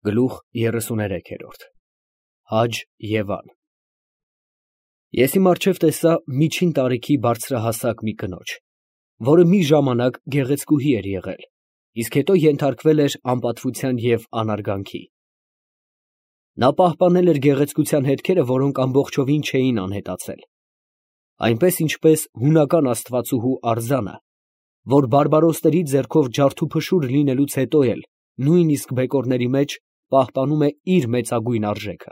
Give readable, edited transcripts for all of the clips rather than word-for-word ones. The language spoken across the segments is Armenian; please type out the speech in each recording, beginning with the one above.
Գլուխ 33 Հաջ Եվան Ես իմ առջև տեսա միջին տարիքի բարձրահասակ մի կնոջ, որը մի ժամանակ գեղեցկուհի էր եղել, իսկ հետո ենթարկվել էր անպատվության և անարգանքի։ Նա պահպանել էր գեղեցկության հետքերը, որոնք ամբողջովին չէին անհետացել, այնպես ինչպես հունական աստվածուհու արձանը, որ բարբարոսների ձեռքով ջարդուփշուր լինելուց հետո էլ նույնիսկ բեկորների մեջ պահպանում է իր մեծագույն արժեքը։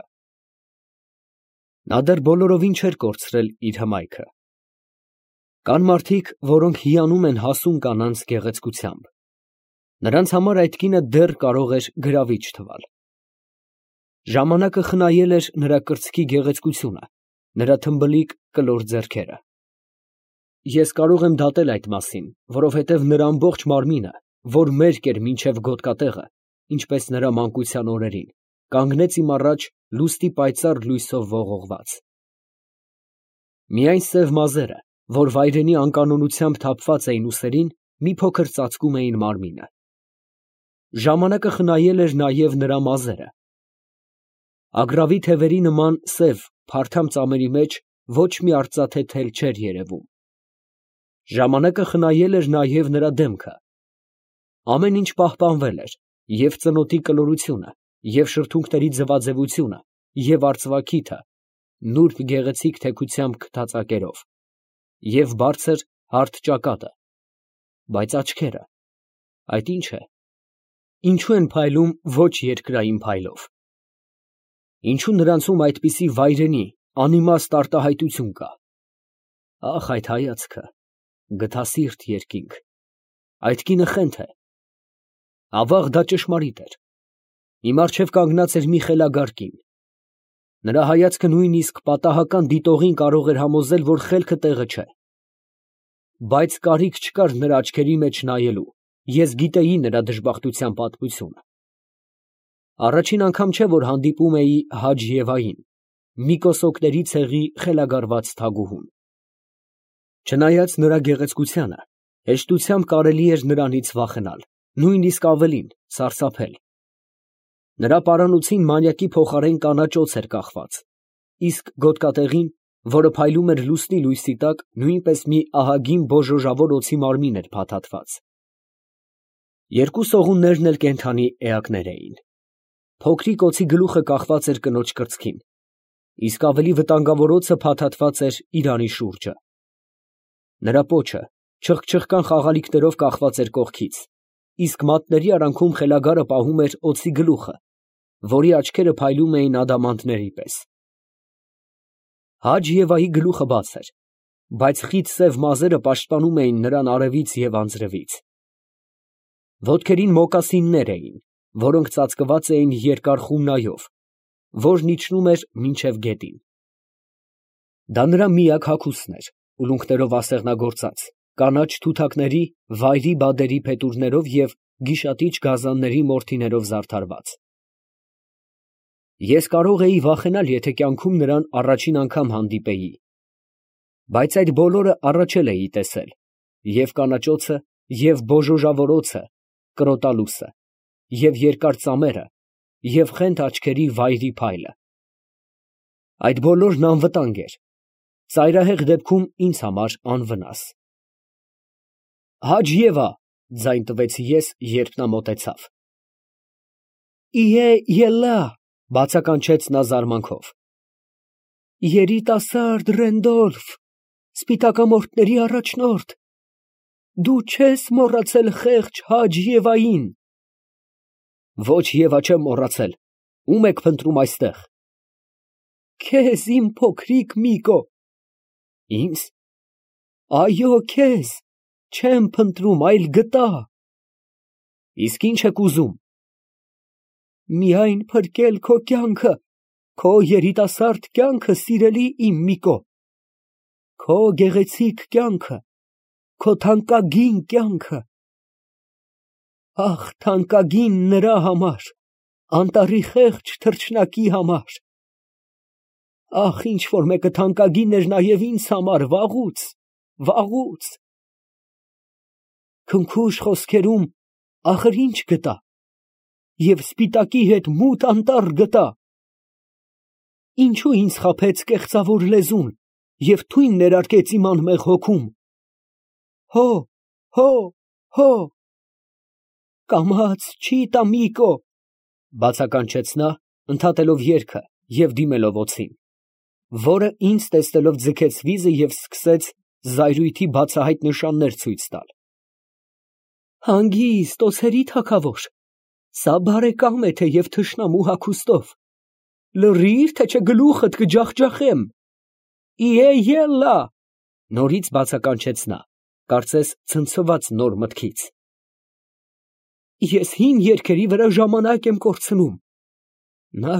Նա դեռ բոլորովին չէր կորցրել իր հմայքը։ Կան մարդիկ, որոնք հիանում են հասուն կանանց գեղեցկությամբ։ Նրանց համար այդ կինը դեռ կարող էր գրավիչ թվալ։ Ժամանակը խնայել էր նրա կրծքի գեղեցկությունը, նրա թմբլիկ կլոր ձեռքերը։ Ես կարող եմ դատել այդ մասին, որովհետև նրա ամբողջ մարմինը, որ մերկ էր մինչև գոտկատեղը, ինչպես նրա մանկության օրերին, կանգնեց իմ առաջ լուստի պայծառ լույսով ողողված։ Միայն սև մազերը, որ վայրենի անկանոնությամբ թափված էին ուսերին, մի փոքր ծածկում էին մարմինը։ Ժամանակը խնայել էր նաև նրա մազերը։ Ագռավի թևերի նման սև, փարթամ ծամերի մեջ ոչ մի արծաթե թել չէր երևում։ Ժամանակը խնայել էր նաև նրա դեմքը։ Ամեն ինչ պահպանվել էր, և ծնոտի կլորությունը, և շրթունքների ձվաձևությունը, և արծվաքիթը, նուրբ գեղեցիկ թեքությամբ քթածակերով, և բարձր հարթ ճակատը, բայց աչքերը, այդ ի՞նչ է, ինչո՞ւ են փայլում ոչ երկրային փայլով, ինչո՞ւ նրանցում այդպիսի վայրենի, անիմաստ արտահայտություն կա։ Ախ, այդ հայացքը, գթասիրտ երկինք, այդ կինը խենթ է։ Ավաղ դա ճշմարիտ էր։ Իմ առջև կանգնած էր մի խելագար կին։ Նրա հայացքը նույնիսկ պատահական դիտողին կարող էր համոզել, որ խելքը տեղը չէ։ Բայց կարիք չկար նրա աչքերի մեջ նայելու, ես գիտեի նրա դժբախտության պատմությունը։ Առաջին անգամ չէ, որ հանդիպում էի Հաջ Եվային, մի կոսոկների ցեղի խելագարված թագուհուն։ Չնայած նրա գեղեցկությանը, հեշտությամբ կարելի էր նրանից վախենալ, նույնիսկ ավելին, սարսափել։ Նրա պարանոցին մանյակի փոխարեն կանաչ օձ էր կախված, իսկ գոտկատեղին, որը փայլում էր լուսնի լույսի տակ, նույնպես մի ահագին բոժոժավոր օձի մարմին էր փաթաթված։ Երկու սողուններն էլ կենդանի էակներ էին։ Փոքրիկ օձի գլուխը կախված էր կնոջ կրծքին, իսկ ավելի վտանգավոր օձը փաթաթված էր իրանի շուրջը։ Նրա պոչը չխկչխկան խաղալիքներով կախված էր կողքից, իսկ մատների արանքում խելագարը պահում էր օձի գլուխը, որի աչքերը փայլում էին ադամանդների պես։ Հաջ Եվայի գլուխը բաց էր, բայց խիտ սև մազերը պաշտպանում էին նրան արևից և անձրևից։ Ոտքերին մոկասիններ էին, որոնք ծածկված էին երկար խումնայով, որն իջնում էր մինչև գետին։ Դա նրա միակ հագուստն էր, ուլունքներով ասեղնագործած, կանաչ թութակների, վայրի բադերի փետուրներով և գիշատիչ գազանների մորթիներով զարդարված։ Ես կարող էի վախենալ, եթե կյանքում նրան առաջին անգամ հանդիպեի, բայց այդ բոլորը առաջ էի տեսել, և կանաճոցը, և բոժոժավոր օձը, կրոտալուսը, և երկար ծամերը, և խենթ աչքերի վայրի փայլը։ Այդ բոլորն անվտանգ էր, ծայրահեղ դեպքում ինձ համար անվնաս։ Հաջ Եվա, ձայն տվեցի ես, երբ նա մոտեցավ։ Իե ելլա, բացականչեց նա զարմանքով։ Երիտասարդ Ռենդոլֆ, սպիտակամորթների առաջնորդ, դու չես մոռացել խեղճ Հաջ Եվային։ Ոչ, Եվա, չեմ մոռացել, ո՞ւմ եք փնտրում այստեղ։ Քեզ, իմ փոքրիկ Միկո։ Ինձ։ Այո, քեզ, չեմ փնտրում, այլ գտա։ Իսկ ի՞նչ եք ուզում։ Միայն փրկել քո կյանքը, քո երիտասարդ կյանքը, սիրելի իմ Միկո, քո գեղեցիկ կյանքը, քո թանկագին կյանքը։ Ախ, թանկագին նրա համար, անտառի խեղճ թռչնակի համար։ Ախ, ինչ որ մեկը թանկագին էր նաև ինձ համար, վաղուց, վաղուց։ Քնքուշ խոսքերում ախր ինչ գտա։ և սպիտակի հետ մութ անտառ գտա։ Ինչու ինձ խաբեց կեղծավոր լեզուն և թույն ներարկեց իմ անմեղ հոգում։ Հո, հո, հո, կամաց չի տա Միկո, բացականչեց նա, ընդհատելով երգը և դիմելով օձին, որը ինձ տեսնելով ձգեց վիզը և սկսեց զայրույթի բացահայտ նշաններ ցույց տալ։ Հանգիստ, օձերի թագավոր, սա բարեկամ է թեև թշնամու հագուստով, լռիր, թե չէ գլուխդ կջախջախեմ։ Իե ելլա, նորից բացականչեց նա, կարծես ցնցված նոր մտքից։ Ես հին երգերի վրա ժամանակ եմ կորցնում։ Նա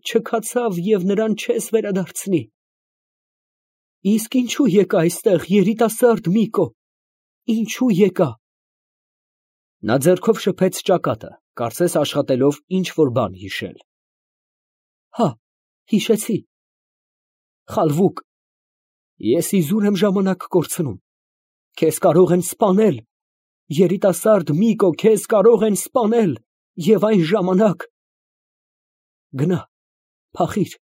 չքացավ և նրան չես վերադարձնի։ Իսկ ինչու եկա այստեղ, երիտասարդ Միկո, ինչու եկա։ Նա ձեռքով շփեց ճակատը, կարծես աշխատելով ինչ֊որ բան հիշել։ Հա, հիշեցի։ Խալվուկ, ես իզուր եմ ժամանակ կորցնում։ Քեզ կարող են սպանել, երիտասարդ Միկո, քեզ կարող են սպանել, և այն ժամանակ… Գնա, փախիր,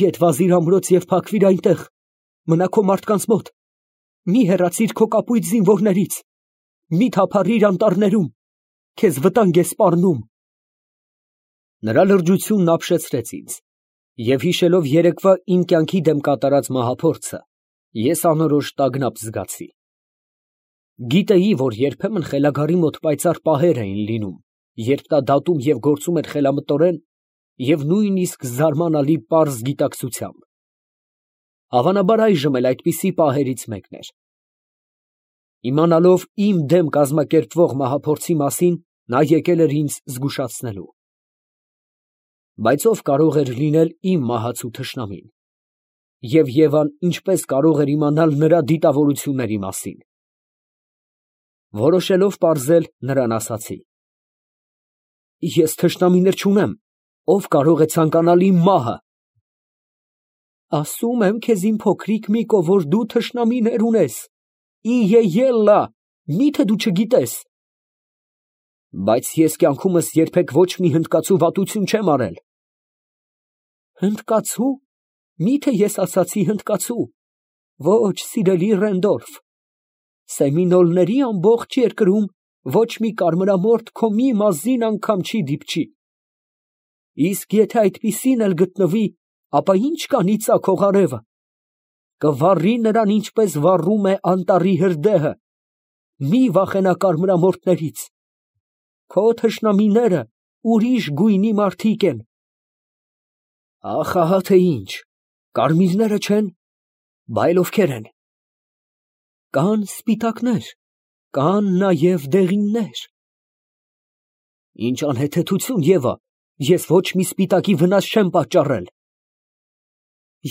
ետ վազիր ամրոց և փակվիր այնտեղ, մնա քո մարդկանց մոտ, մի հեռացիր քո կապույտ զինվորներից, մի թափառիր անտառներում, քեզ վտանգ է սպառնում։ Նրա լրջությունն ապշեցրեց ինձ, և հիշելով երեկվա իմ կյանքի դեմ կատարած մահափորձը, ես անորոշ տագնապ զգացի։ Գիտեի, որ երբեմն խելագարի մոտ պայծառ պահեր էին լինում, երբ նա դատում և գործում էր խելամտորեն և նույնիսկ զարմանալի պարզ գիտակցությամբ։ Հավանաբար այժմ էլ այդպիսի պահերից մեկն էր։ Իմանալով իմ դեմ կազմակերպվող մահափորձի մասին, նա եկել էր ինձ զգուշացնելու։ Բայց ով կարող էր լինել իմ մահացու թշնամին։ Եվ Եվան ինչպես կարող էր իմանալ նրա դիտավորությունների մասին։ Որոշելով պարզել, նրան ասացի. Ես թշնամիներ չունեմ, ով կարող է ցանկանալ իմ մահը։ Ասում եմ քեզ, իմ փոքրիկ Միկո, որ դու թշնամիներ ունես, իե ելլա, միթե դու չգիտես։ Բայց ես կյանքումս երբեք ոչ մի հնդկացու վատություն չեմ արել։ Հնդկացու, միթե ես ասացի հնդկացու։ Ոչ, սիրելի Ռենդոլֆ, Սեմինոլների ամբողջ երկրում ոչ մի կարմրամորթ քո մի մազին անգամ չի դիպչի։ Իսկ եթե այդպիսին էլ գտնվի, ապա ի՞նչ կանի ծագող արևը, կվառի նրան, ինչպես վառում է անտառի հրդեհը։ Մի վախենա կարմրամորթներից, քո թշնամիները ուրիշ գույնի մարդիկ են։ Ախ, ահա թե ինչ, կարմիրները չեն, բայլ ովքեր են։ Կան սպիտակներ, կան նաև դեղիններ։ Ինչ անհեթեթություն, Եվա, ես ոչ մի սպիտակի վնաս չեմ պատճառել։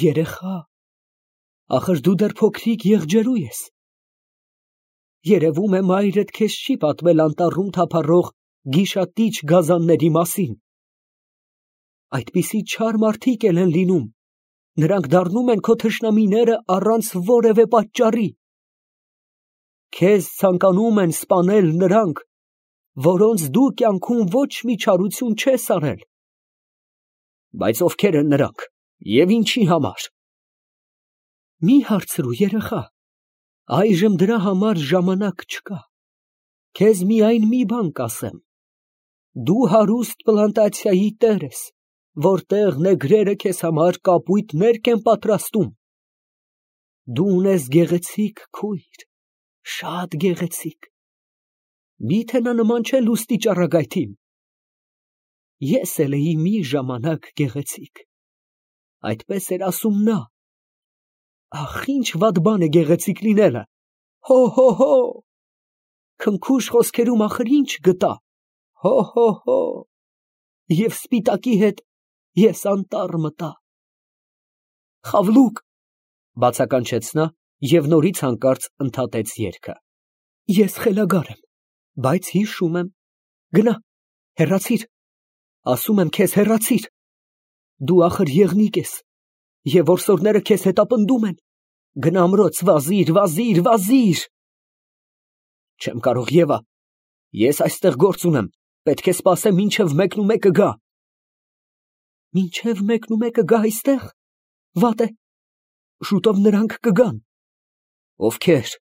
Երեխա, ախր դու դեռ փոքրիկ եղջերու ես։ Երևում է մայրդ քեզ չի պատմել անտառում թափառող գիշատիչ գազանների մասին։ Այդպիսի չար մարդիկ էլ են լինում, նրանք դառնում են քո թշնամիները առանց որևէ պատճառի։ Քեզ ցանկանում են սպանել նրանք, որոնց դու կյանքում ոչ մի չարություն չես արել։ Բայց ովքեր են նրանք և ինչի համար։ Մի հարցրու, երեխա, այժմ դրա համար ժամանակ չկա։ Քեզ միայն մի բան կասեմ. դու հարուստ պլանտացիայի տեր ես, որտեղ նեգրերը քեզ համար կապույտ ներք են պատրաստում։ Դու ունես գեղեցիկ քույր, շատ գեղեցիկ։ Միթե նա նման չէ լուստի ճառագայթին։ Ես էլ էի մի ժամանակ գեղեցիկ։ Այդպես էր ասում նա։ Ախ, ինչ վատ բան է գեղեցիկ լինելը։ Հո, հո, հո։ Քնքուշ խոսքերում ախր ինչ գտա։ Հո, հո, հո։ Եվ սպիտակի հետ ես անտառ մտա։ Խավլուկ, բացականչեց նա և նորից հանկարծ ընդհատեց երգը։ Ես խելագար եմ, բայց հիշում եմ։ Գնա, հեռացիր։ Ասում եմ քեզ, հեռացիր։ Դու ախր եղնիկ ես, և որսորդները քեզ հետապնդում են։ Գնա ամրոց, վազիր, վազիր, վազիր։ Չեմ կարող, Եվա, ես այստեղ գործ ունեմ, Պետք է սպասեմ, մինչև 1:01 գա։ Մինչև 1:01 գա այստեղ։ Վատ է, շուտով նրանք կգան։ Ովքեր։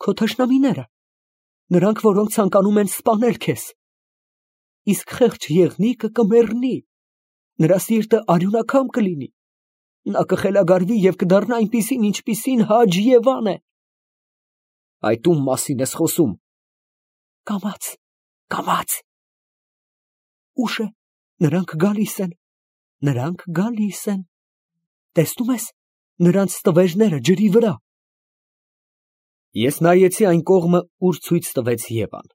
Քո թշնամիները, նրանք, որոնք ցանկանում են սպանել քեզ։ Իսկ խեղճ եղնիկը կմեռնի, նրա սիրտը արյունակամ կլինի, նա կխելագարվի և կդառնա այնպիսին, ինչպիսին Հաջ Եվան է։ Այդ ում մասին ես խոսում։ Կամաց, կամաց։ Ուշ է, նրանք գալիս են, նրանք գալիս են։ Տեսնում ես, նրանց ստվերները ջրի վրա։ Ես նայեցի այն կողմը, ուր ցույց տվեց Եվան։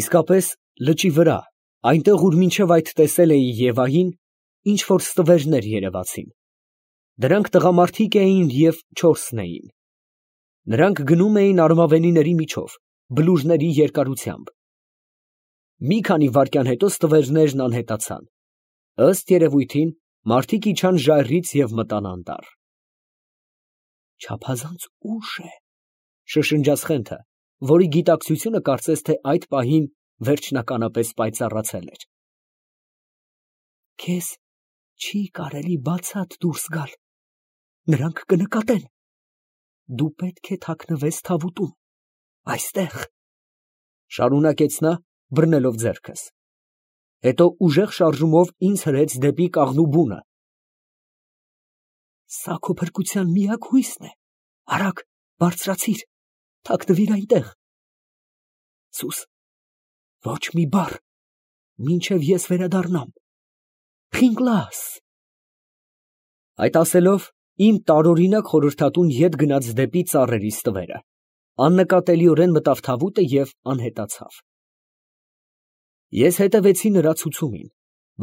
Իսկապես, լճի վրա, այնտեղ, ուր մինչև այդ տեսել էի Եվային, ինչ որ ստվերներ երևացին։ Դրանք տղամարդիկ էին և 4 էին։ Նրանք գնում էին արմավենիների միջով, բլուրների երկարությամբ։ Մի քանի վայրկյան հետո ստվերներն անհետացան։ Ըստ երևույթին, մարդիկ իջան ժայռից և մտան անտառ։ Չափազանց ուշ է, շշնջաց Խենթը, որի գիտակցությունը կարծես թե այդ պահին վերջնականապես պայծառացել էր։ Քեզ չի կարելի բացատ դուրս գալ, նրանք կնկատեն։ Դու պետք է թաքնվես թավուտում, այստեղ, շարունակեց նա, բռնելով ձեռքս։ Հետո ուժեղ շարժումով ինձ հրեց դեպի կաղնու բունը։ Սա քո փրկության միակ հույսն է, արագ, բարձրացիր, թաքնվիր այնտեղ։ Սուս, ոչ մի բառ, մինչև ես վերադառնամ։ Խինգլաս։ Այդ ասելով, իմ տարօրինակ խորհրդատուն ետ գնաց դեպի ծառերի ստվերը, աննկատելիորեն մտավ թավուտը և անհետացավ։ Ես հետևեցի նրա ցուցումին,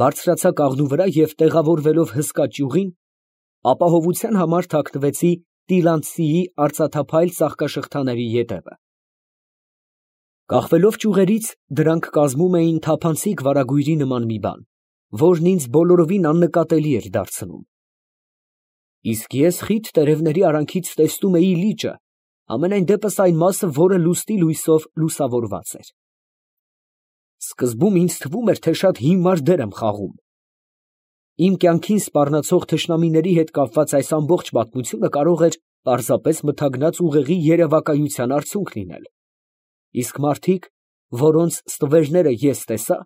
բարձրացա կաղնու վրա և տեղավորվելով հսկա ճյուղին, ապահովության համար թաքնվեցի Տիլանդցիի արծաթափայլ ծաղկաշղթաների ետևը։ Կախվելով ճյուղերից, դրանք կազմում էին թափանցիկ վարագույրի նման մի բան, որն ինձ բոլորովին աննկատելի էր դարձնում։ Իսկ ես խիտ տերևների արանքից տեսնում էի լիճը, համենայն դեպս այն մասը, որը լուսնի լույսով լուսավորված էր։ Սկզբում ինձ թվում էր, թե շատ հիմար դեր եմ խաղում։ Իմ կյանքին սպառնացող թշնամիների հետ կապված այս ամբողջ պատմությունը կարող էր պարզապես մթագնած ուղեղի երևակայության արդյունք լինել։ Իսկ մարդիկ, որոնց ստվերները ես տեսա,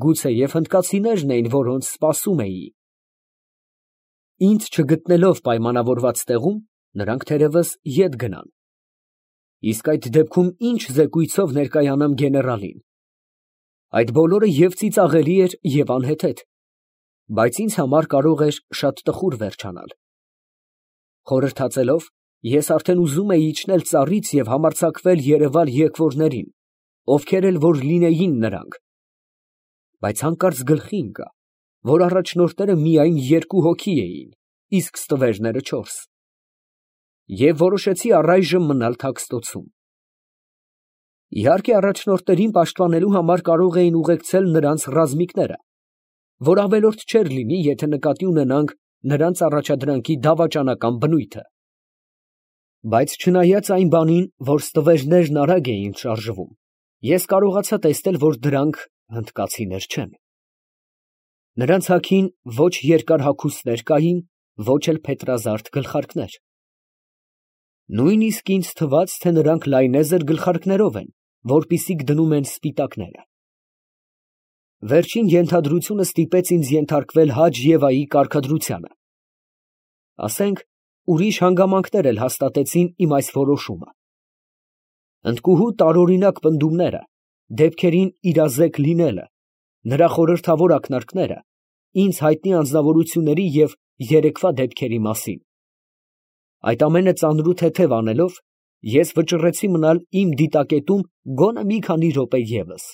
գուցեև հնդկացիներն էին, որոնց սպասում էի։ Ինձ չգտնելով պայմանավորված տեղում, նրանք թերևս ետ գնան։ Իսկ այդ դեպքում ինչ զեկույցով ներկայանամ գեներալին։ Այդ բոլորը և ծիծաղելի էր, և անհեթեթ, բայց ինձ համար կարող էր շատ տխուր վերջանալ։ Խորհրդածելով, ես արդեն ուզում էի իջնել ծառից և համարձակվել երևալ եկվորներին, ովքեր էլ որ լինեին նրանք։ Բայց հանկարծ գլխի ընկա, որ առաջնորդները միայն 2 հոգի էին, իսկ ստվերները 4, և որոշեցի առայժմ մնալ թաքստոցում։ Իհարկե, առաջնորդներին պաշտպանելու համար կարող էին ուղեկցել նրանց ռազմիկները, որ ավելորդ չէր լինի, եթե նկատի ունենանք նրանց առաջադրանքի դավաճանական բնույթը։ Բայց չնայած այն բանին, որ ստվերներն արագ էին շարժվում, ես կարողացա տեսնել, որ դրանք հնդկացիներ չեն։ Նրանց հագին ոչ երկար հագուստներ կային, ոչ էլ փետրազարդ գլխարկներ։ Նույնիսկ ինձ թվաց, թե նրանք լայնեզր գլխարկներով են, որպիսիք դնում են սպիտակները։ Վերջին ենթադրությունը ստիպեց ինձ ենթարկվել Հաջ Եվայի կարգադրությանը։ Ասենք, ուրիշ հանգամանքներ էլ հաստատեցին իմ այս որոշումը։ Ընդկուհու տարօրինակ պնդումները, դեպքերին իրազեկ լինելը, նրա խորհրդավոր ակնարկները, ինձ հայտնի անձնավորությունների և երեկվա դեպքերի մասին։ Այդ ամենը ծանր ու թեթև անելով, ես վճռեցի մնալ իմ դիտակետում գոնե մի քանի րոպե ևս։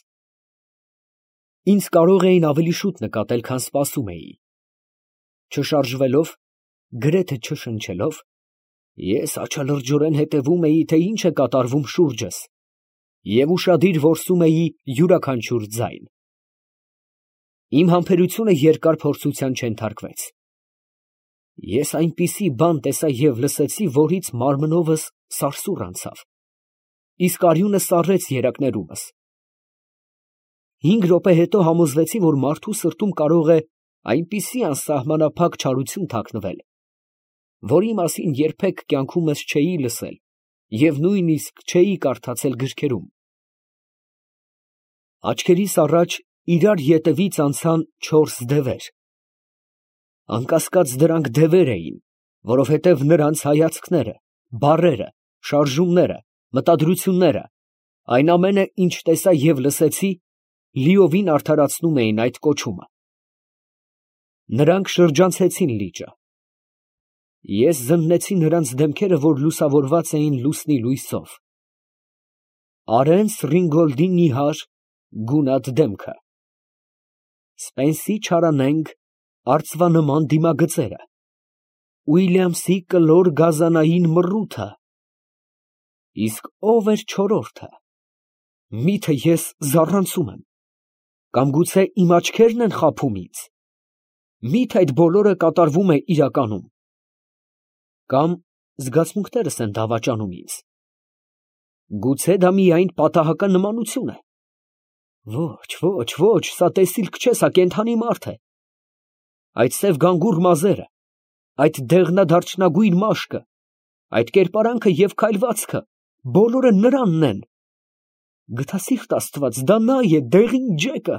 Ինձ կարող էին ավելի շուտ նկատել, քան սպասում էի։ Չշարժվելով, գրեթե չշնչելով, ես աչալրջորեն հետևում էի, թե ինչ է կատարվում շուրջս, և ուշադիր որսում էի յուրաքանչյուր ձայն։ Իմ համբերությունը երկար փորձության չենթարկվեց։ Ես այնպիսի բան տեսա և լսեցի, որից մարմնովս սարսուռ անցավ, իսկ արյունը սառեց երակներումս։ 5 րոպե հետո համոզվեցի, որ մարդու սրտում կարող է այնպիսի անսահմանափակ չարություն թաքնվել, որի մասին երբեք կյանքումս չէի լսել և նույնիսկ չէի կարդացել գրքերում։ Աչքերիս առաջ իրար ետևից անցան 4 դևեր։ Անկասկած դրանք դևեր էին, որովհետև նրանց հայացքները, բառերը, շարժումները, մտադրությունները, այն ամենը, ինչ տեսա և լսեցի, լիովին արդարացնում էին այդ կոչումը։ Նրանք շրջանցեցին լիճը։ Ես զննեցի նրանց դեմքերը, որ լուսավորված էին լուսնի լույսով։ Արենց Ռինգոլդի նիհար, գունատ դեմքը, Սպենսի չարանենգ արծվանման դիմագծերը, Ուիլյամսի կլոր գազանային մռութը, իսկ ո՞վ էր չորրորդը։ Միթե ես զառանցում եմ, կամ գուցե իմ աչքերն են խաբում ինձ, միթե այդ բոլորը կատարվում է իրականում, կամ զգացմունքներս են դավաճանում ինձ, գուցե դա միայն պատահական նմանություն է։ Ոչ, սա տեսիլք չէ, սա կենդանի մարդ է։ Այդ սև գանգուր մազերը, այդ դեղնադարչնագույն մաշկը, այդ կերպարանքը և քայլվածքը, բոլորը նրանն են։ Գթասիրտ Աստված, դա նա է, դեղին ջեկը։